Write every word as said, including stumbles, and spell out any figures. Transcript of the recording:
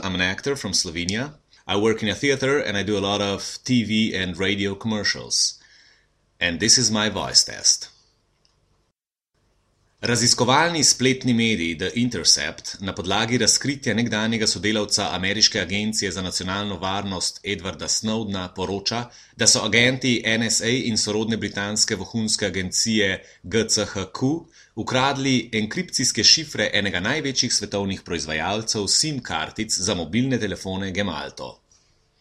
I'm an actor from Slovenia. I work in a theater and I do a lot of T V and radio commercials. And this is my voice test. Raziskovalni spletni medij The Intercept na podlagi razkritja nekdanjega sodelavca ameriške agencije za nacionalno varnost Edwarda Snowdena poroča, da so agenti N S A in sorodne britanske vohunske agencije G C H Q ukradli enkripcijske šifre enega največjih svetovnih proizvajalcev SIM kartic za mobilne telefone Gemalto.